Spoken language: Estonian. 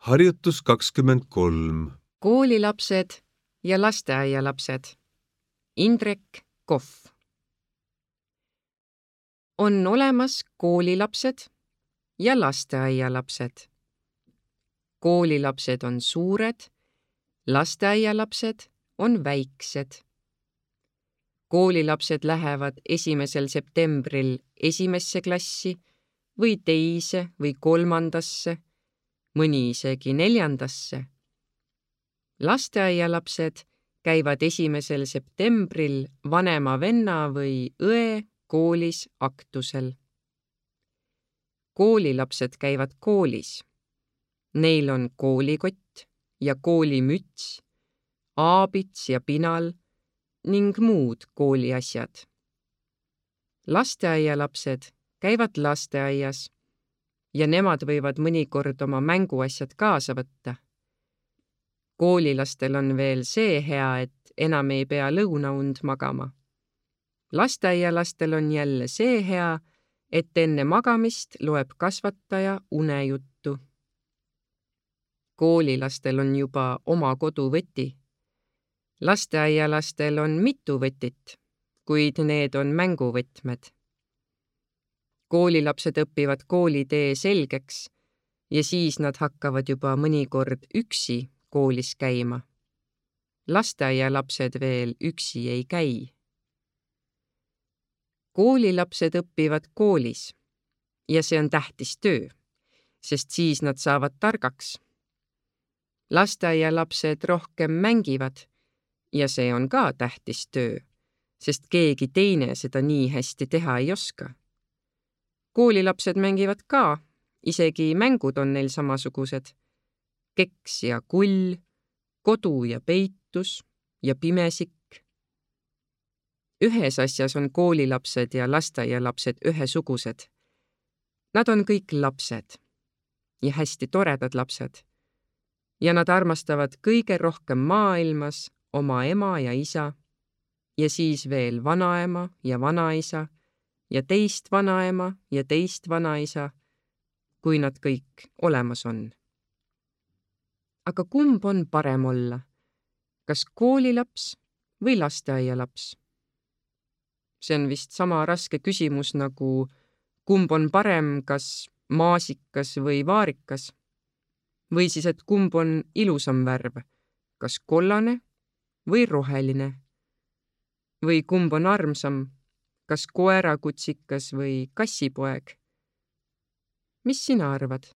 Harjutus 23. Koolilapsed ja lasteaialapsed. Indrek Kohv. On olemas koolilapsed ja lasteaialapsed. Koolilapsed on suured, lasteaialapsed on väiksed. Koolilapsed lähevad 1. septembril esimesse klassi või teise või kolmandasse, mõni isegi 4. Lasteaialapsed käivad 1. septembril vanema venna või õe koolis aktusel. Koolilapsed käivad koolis. Neil on koolikott ja koolimüts, aabits ja pinal ning muud kooliasjad. Lasteaialapsed käivad lasteaias ja nemad võivad mõnikord oma mänguasjad kaasa võtta. Koolilastel on veel see hea, et enam ei pea lõunaund magama. Lasteaialastel on jälle see hea, et enne magamist loeb kasvataja unejuttu. Koolilastel on juba oma koduvõti. Lasteaialastel on mitu võtit, kuid need on mänguvõtmed. Koolilapsed õpivad koolitee selgeks ja siis nad hakkavad juba mõnikord üksi koolis käima. Lasteaialapsed veel üksi ei käi. Koolilapsed õpivad koolis ja see on tähtis töö, sest siis nad saavad targaks. Lasteaialapsed rohkem mängivad ja see on ka tähtis töö, sest keegi teine seda nii hästi teha ei oska. Koolilapsed mängivad ka, isegi mängud on neil samasugused. Keks ja kull, kodu ja peitus ja pimesikk. Ühes asjas on koolilapsed ja lasteaialapsed ühesugused. Nad on kõik lapsed ja hästi toredad lapsed. Ja nad armastavad kõige rohkem maailmas oma ema ja isa ja siis veel vanaema ja vanaisa ja teist vanaema ja teist vanaisa, kui nad kõik olemas on. Aga kumb on parem olla? Kas koolilaps või lasteaialaps? See on vist sama raske küsimus nagu kumb on parem, kas maasikas või vaarikas? Või siis, et kumb on ilusam värv, kas kollane või roheline? Või kumb on armsam, kas koerakutsikas või kassipoeg? Mis sina arvad?